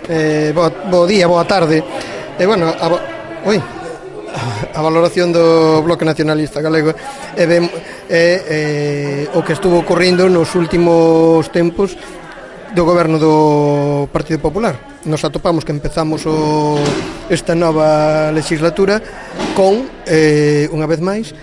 Bo día, boa tarde. Bueno, a valoración do Bloque Nacionalista Galego o que estuvo ocorrendo nos últimos tempos do goberno do Partido Popular. Nos atopamos que empezamos esta nova legislatura con, unha vez máis,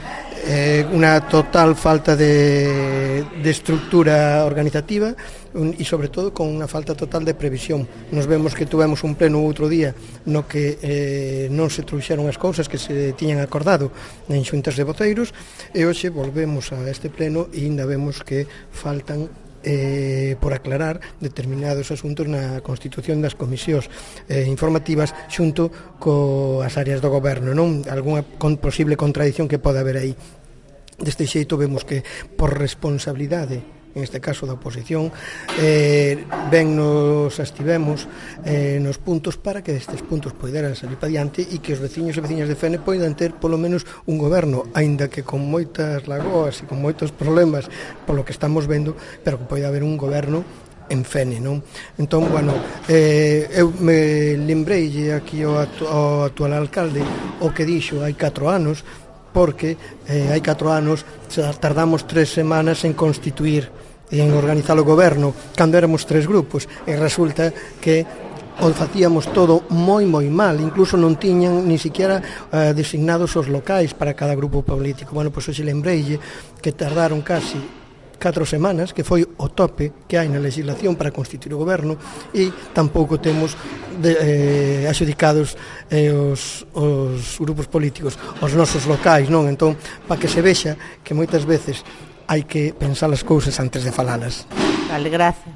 unha total falta de estructura organizativa e sobre todo con unha falta total de previsión. Nos vemos que tuvemos un pleno outro día no que non se trouxeron as cousas que se tiñan acordado en xuntas de voceiros, e hoxe volvemos a este pleno e ainda vemos que faltan por aclarar determinados asuntos na constitución das comisións informativas xunto coas áreas do goberno, non? Algúna posible contradición que pode haber aí. Deste xeito vemos que por responsabilidade, en este caso da oposición, ben nos abstivemos nos puntos para que destes puntos poideran salir para diante e que os veciños e veciñas de Fene poidan ter polo menos un goberno, aínda que con moitas lagoas e con moitos problemas polo que estamos vendo, pero que poida haber un goberno en Fene, non? Entón, bueno, eu me lembrei aquí ao actual alcalde o que dixo hai 4 anos, porque hai 4 anos tardamos 3 semanas en constituir e en organizar o goberno, cando éramos 3 grupos, e resulta que o facíamos todo moi mal, incluso non tiñan ni siquiera designados os locais para cada grupo político. Bueno, pois hoxe lembreille que tardaron casi 4 semanas, que foi o tope que hai na legislación para constituir o goberno, e tampouco temos adxudicados os grupos políticos, os nosos locais, non? Entón, para que se vexa que moitas veces hai que pensar as cousas antes de falalas. Vale, gracias.